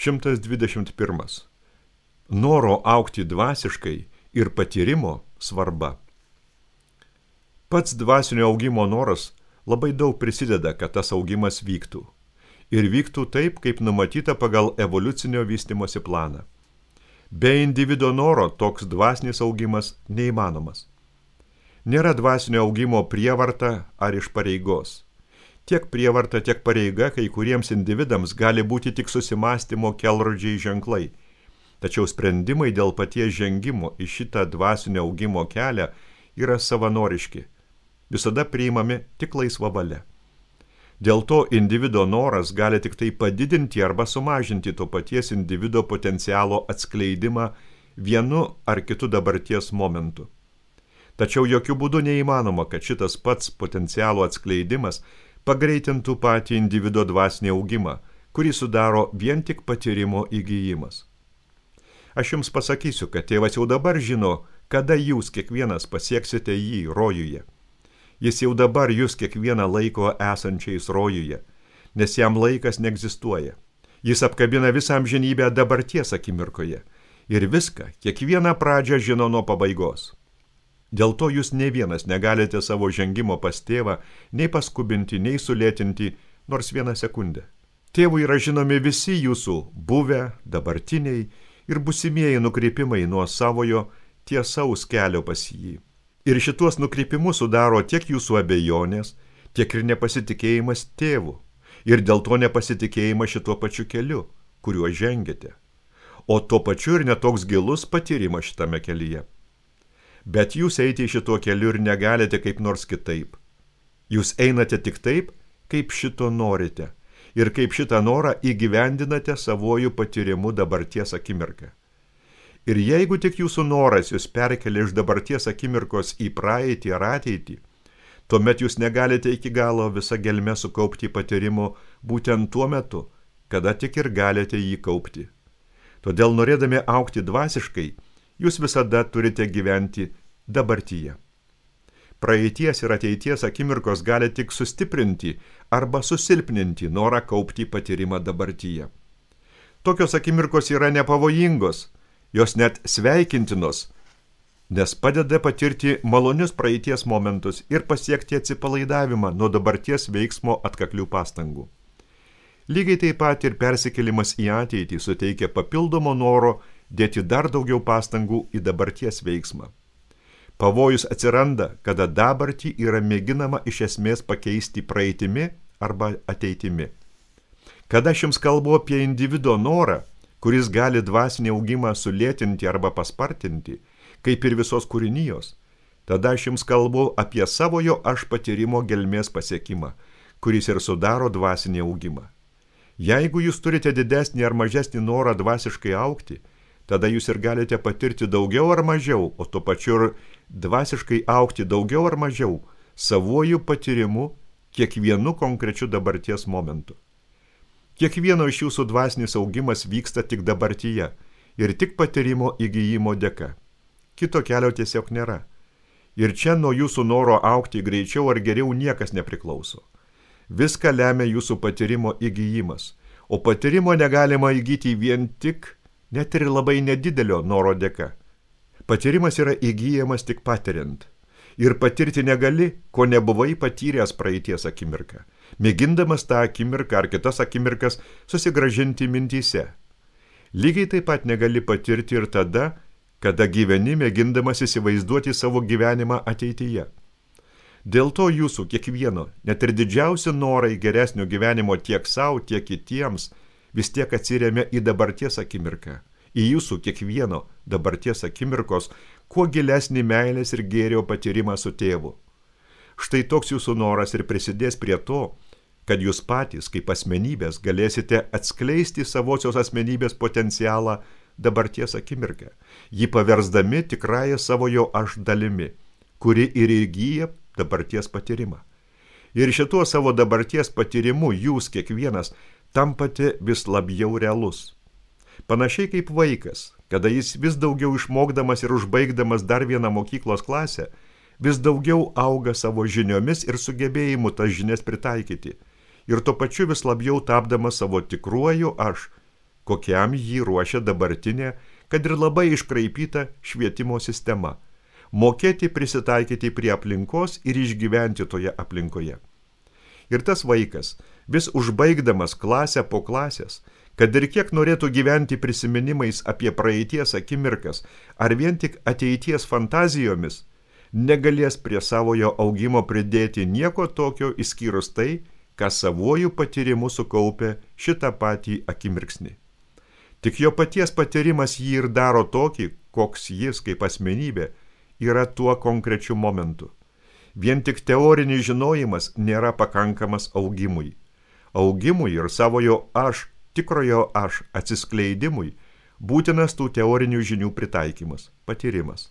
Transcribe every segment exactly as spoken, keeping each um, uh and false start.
šimtas dvidešimt pirmas. Noro augti dvasiškai ir patyrimo svarba. Pats dvasinio augimo noras labai daug prisideda, kad tas augimas vyktų. Ir vyktų taip, kaip numatyta pagal evoliucinio vystymosi planą. Be individo noro toks dvasinis augimas neįmanomas. Nėra dvasinio augimo prievarta ar iš pareigos. Tiek prievarta, tiek pareiga kai kuriems individams gali būti tik susimąstymo kelrodžiai ženklai. Tačiau sprendimai dėl paties žengimo į šitą dvasinio augimo kelią yra savanoriški. Visada priimami tik laisva valia. Dėl to individo noras gali tik tai padidinti arba sumažinti to paties individo potencialo atskleidimą vienu ar kitu dabarties momentu. Tačiau jokių būdų neįmanoma, kad šitas pats potencialo atskleidimas pagreitintų patį individo dvasinį augimą, kurį sudaro vien tik patyrimo įgijimas. Aš jums pasakysiu, kad tėvas jau dabar žino, kada jūs kiekvienas pasieksite jį rojuje. Jis jau dabar jūs kiekvieną laiko esančiais rojuje, nes jam laikas neegzistuoja. Jis apkabina visą amžinybę dabarties akimirkoje ir viską, kiekvieną pradžią žino nuo pabaigos. Dėl to jūs ne vienas negalite savo žengimo pas tėvą nei paskubinti, nei sulėtinti nors vieną sekundę. Tėvui yra žinomi visi jūsų buvę, dabartiniai ir busimieji nukrypimai nuo savojo tiesaus kelio pas jį. Ir šituos nukrypimus sudaro tiek jūsų abejonės, tiek ir nepasitikėjimas tėvu. Ir dėl to nepasitikėjimas šituo pačiu keliu, kuriuo žengėte. O tuo pačiu ir netoks gilus patyrimas šitame kelyje. Bet jūs eiti šituo keliu ir negalite kaip nors kitaip. Jūs einate tik taip, kaip šito norite. Ir kaip šitą norą įgyvendinate savojų patyrimu dabarties akimirką. Ir jeigu tik jūsų noras jūs perkelia iš dabarties akimirkos į praeitį ar ateitį, tuomet jūs negalite iki galo visą gelmę sukaupti patyrimo būtent tuo metu, kada tik ir galite jį kaupti. Todėl norėdami augti dvasiškai, jūs visada turite gyventi dabartyje. Praeities ir ateities akimirkos gali tik sustiprinti arba susilpninti norą kaupti patyrimą dabartyje. Tokios akimirkos yra nepavojingos, jos net sveikintinos, nes padeda patirti malonius praeities momentus ir pasiekti atsipalaidavimą nuo dabarties veiksmo atkaklių pastangų. Lygiai taip pat ir persikėlimas į ateitį suteikia papildomo noro dėti dar daugiau pastangų į dabarties veiksmą. Pavojus atsiranda, kada dabartį yra mėginama iš esmės pakeisti praeitimi arba ateitimi. Kada aš jums kalbu apie individo norą, kuris gali dvasinį augimą sulėtinti arba paspartinti, kaip ir visos kūrinijos, tada aš jums kalbu apie savojo aš patyrimo gelmės pasiekimą, kuris ir sudaro dvasinį augimą. Jeigu jūs turite didesnį ar mažesnį norą dvasiškai augti, tada jūs ir galite patirti daugiau ar mažiau, o tuo pačiu ir dvasiškai augti daugiau ar mažiau savuoju patyrimu kiekvienu konkrečiu dabarties momentu. Kiekvieno iš jūsų dvasinis augimas vyksta tik dabartyje ir tik patyrimo įgijimo dėka. Kito kelio tiesiog nėra. Ir čia nuo jūsų noro augti greičiau ar geriau niekas nepriklauso. Viską lemia jūsų patyrimo įgijimas, o patyrimo negalima įgyti vien tik, net ir labai nedidelio noro dėka. Patyrimas yra įgyjamas tik patiriant. Ir patirti negali, ko nebuvai patyręs praeities akimirką, mėgindamas tą akimirką ar kitas akimirkas susigražinti mintyse. Lygiai taip pat negali patirti ir tada, kada gyveni mėgindamas įsivaizduoti savo gyvenimą ateityje. Dėl to jūsų kiekvieno, net ir didžiausi norai geresnio gyvenimo tiek savo, tiek kitiems, vis tiek atsiremia į dabarties akimirką, į jūsų kiekvieno dabarties akimirkos, kuo gilesnį meilės ir gėrio patyrimą su tėvu. Štai toks jūsų noras ir prisidės prie to, kad jūs patys, kaip asmenybės, galėsite atskleisti savosios asmenybės potencialą dabarties akimirką, jį paversdami tikrąją savojo aš dalimi, kuri ir įgyja dabarties patyrimą. Ir šituo savo dabarties patyrimu jūs kiekvienas tampate vis labiau realus. Panašiai kaip vaikas, kada jis vis daugiau išmokdamas ir užbaigdamas dar vieną mokyklos klasę, vis daugiau auga savo žiniomis ir sugebėjimu tas žinias pritaikyti, ir tuo pačiu vis labiau tapdamas savo tikruoju aš, kokiam jį ruošia dabartinė, kad ir labai iškraipyta švietimo sistema. Mokėti prisitaikyti prie aplinkos ir išgyventi toje aplinkoje. Ir tas vaikas, vis užbaigdamas klasę po klasės, kad ir kiek norėtų gyventi prisiminimais apie praeities akimirkas ar vien tik ateities fantazijomis, negalės prie savojo augimo pridėti nieko tokio išskyrus tai, ką savuoju patyrimu sukaupė šitą patį akimirksnį. Tik jo paties patyrimas jį ir daro tokį, koks jis kaip asmenybė yra tuo konkrečiu momentu. Vien tik teorinis žinojimas nėra pakankamas augimui. Augimui ir savojo aš, tikrojo aš atsiskleidimui būtinas tų teorinių žinių pritaikymas, patyrimas.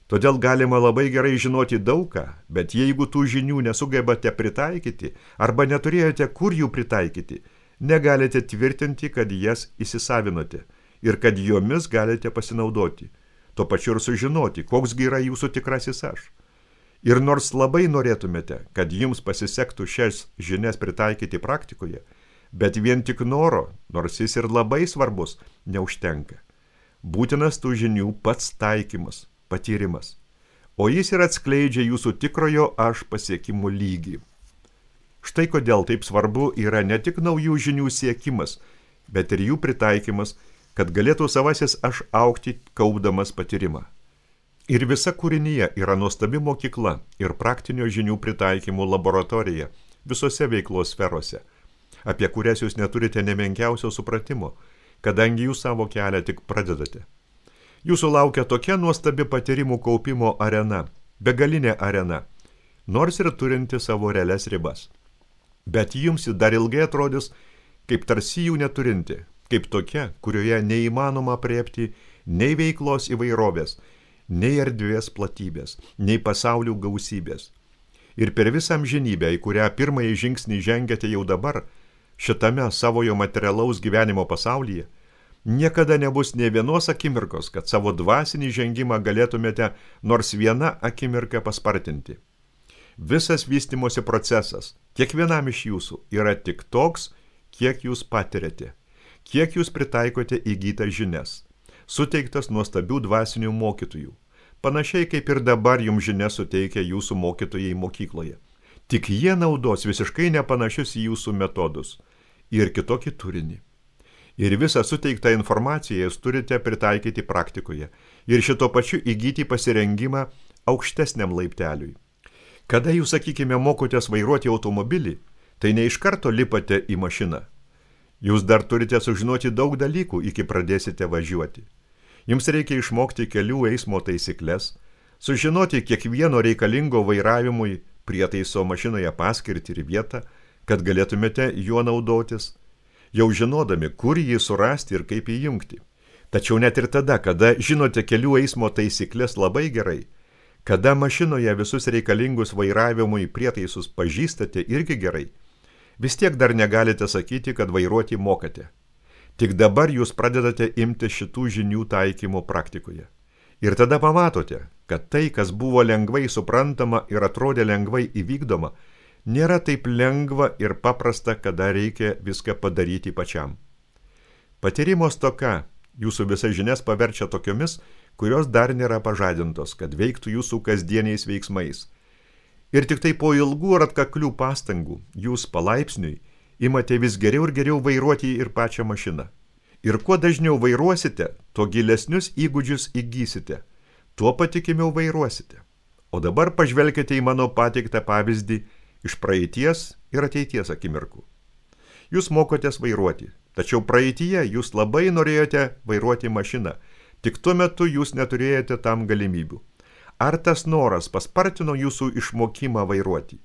Todėl galima labai gerai žinoti daugą, bet jeigu tų žinių nesugebate pritaikyti arba neturėjote kur jų pritaikyti, negalite tvirtinti, kad jas įsisavinote ir kad jomis galite pasinaudoti, tuo pačiu ir sužinoti, koks yra jūsų tikrasis aš. Ir nors labai norėtumėte, kad jums pasisektų šias žinias pritaikyti praktikoje, bet vien tik noro, nors jis ir labai svarbus, neužtenka. Būtinas tų žinių pats taikymas, patyrimas, o jis ir atskleidžia jūsų tikrojo aš pasiekimų lygį. Štai kodėl taip svarbu yra ne tik naujų žinių siekimas, bet ir jų pritaikymas, kad galėtų savasis aš augti kaupdamas patyrimą. Ir visa kūrinyje yra nuostabi mokykla ir praktinio žinių pritaikymų laboratorija visose veiklos sferose, apie kurias jūs neturite nemenkiausio supratimo, kadangi jūs savo kelią tik pradedate. Jūsų laukia tokia nuostabi patyrimų kaupimo arena, begalinė arena, nors ir turinti savo realias ribas. Bet jums dar ilgai atrodys, kaip tarsi jų neturinti, kaip tokia, kurioje neįmanoma apriepti nei veiklos įvairovės, nei erdvės platybės, nei pasaulių gausybės. Ir per visą amžinybę, į kurią pirmąjį žingsnį žengiate jau dabar, šitame savojo materialaus gyvenimo pasaulyje, niekada nebus nė vienos akimirkos, kad savo dvasinį žengimą galėtumėte nors vieną akimirką paspartinti. Visas vystymosi procesas, kiekvienam iš jūsų, yra tik toks, kiek jūs patiriate, kiek jūs pritaikote įgytas žinias, suteiktas nuostabių dvasinių mokytojų, panašiai kaip ir dabar jums žinias suteikia jūsų mokytojai mokykloje. Tik jie naudos visiškai nepanašius į jūsų metodus ir kitokį turinį. Ir visą suteiktą informaciją jūs turite pritaikyti praktikoje ir šito pačiu įgyti pasirengimą aukštesniam laipteliui. Kada jūs, sakykime, mokotės vairuoti automobilį, tai ne iš karto lipate į mašiną. Jūs dar turite sužinoti daug dalykų, iki pradėsite važiuoti. Jums reikia išmokti kelių eismo taisyklės, sužinoti kiekvieno reikalingo vairavimui prietaiso mašinoje paskirtį ir vietą, kad galėtumėte juo naudotis, jau žinodami, kur jį surasti ir kaip įjungti. Tačiau net ir tada, kada žinote kelių eismo taisyklės labai gerai, kada mašinoje visus reikalingus vairavimui prietaisus pažįstate irgi gerai, vis tiek dar negalite sakyti, kad vairuoti mokate. Tik dabar jūs pradedate imti šitų žinių taikymo praktikoje. Ir tada pamatote, kad tai, kas buvo lengvai suprantama ir atrodė lengvai įvykdoma, nėra taip lengva ir paprasta, kada reikia viską padaryti pačiam. Patyrimo stoka jūsų visas žinias paverčia tokiomis, kurios dar nėra pažadintos, kad veiktų jūsų kasdieniais veiksmais. Ir tik tai po ilgų ir atkaklių pastangų jūs palaipsniui imate vis geriau ir geriau vairuoti ir pačią mašiną. Ir kuo dažniau vairuosite, tuo gilesnius įgūdžius įgysite, tuo patikimiau vairuosite. O dabar pažvelkite į mano pateiktą pavyzdį iš praeities ir ateities akimirkų. Jūs mokotės vairuoti, tačiau praeityje jūs labai norėjote vairuoti mašiną, tik tuo metu jūs neturėjote tam galimybių. Ar tas noras paspartino jūsų išmokimą vairuoti?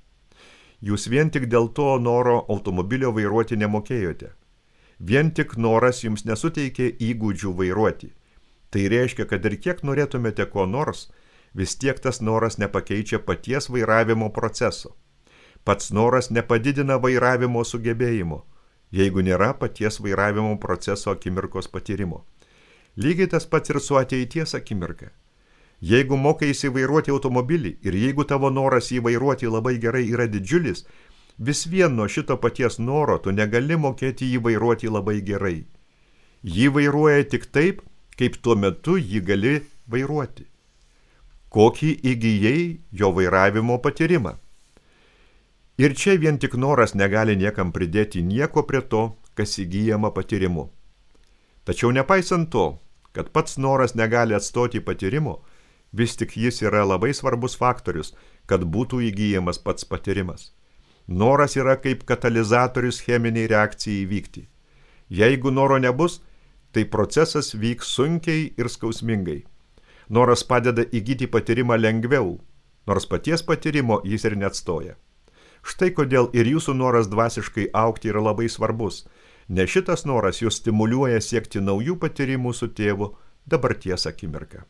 Jūs vien tik dėl to noro automobilio vairuoti nemokėjote. Vien tik noras jums nesuteikė įgūdžių vairuoti. Tai reiškia, kad ir kiek norėtumėte ko nors, vis tiek tas noras nepakeičia paties vairavimo proceso. Pats noras nepadidina vairavimo sugebėjimo, jeigu nėra paties vairavimo proceso akimirkos patyrimo. Lygiai tas pats ir su ateities akimirka. Jeigu mokaisi vairuoti automobilį ir jeigu tavo noras jį vairuoti labai gerai yra didžiulis, vis vien nuo šito paties noro tu negali mokėti jį vairuoti labai gerai. Jį vairuoja tik taip, kaip tuo metu jį gali vairuoti. Kokį įgyjai jo vairavimo patyrimą. Ir čia vien tik noras negali niekam pridėti nieko prie to, kas įgyjama patyrimu. Tačiau nepaisant to, kad pats noras negali atstoti patyrimo, vis tik jis yra labai svarbus faktorius, kad būtų įgyjamas pats patyrimas. Noras yra kaip katalizatorius cheminiai reakcijai įvykti. Jeigu noro nebus, tai procesas vyks sunkiai ir skausmingai. Noras padeda įgyti patyrimą lengviau, nors paties patyrimo jis ir neatstoja. Štai kodėl ir jūsų noras dvasiškai augti yra labai svarbus, nes šitas noras jūs stimuliuoja siekti naujų patyrimų su tėvu dabarties akimirką.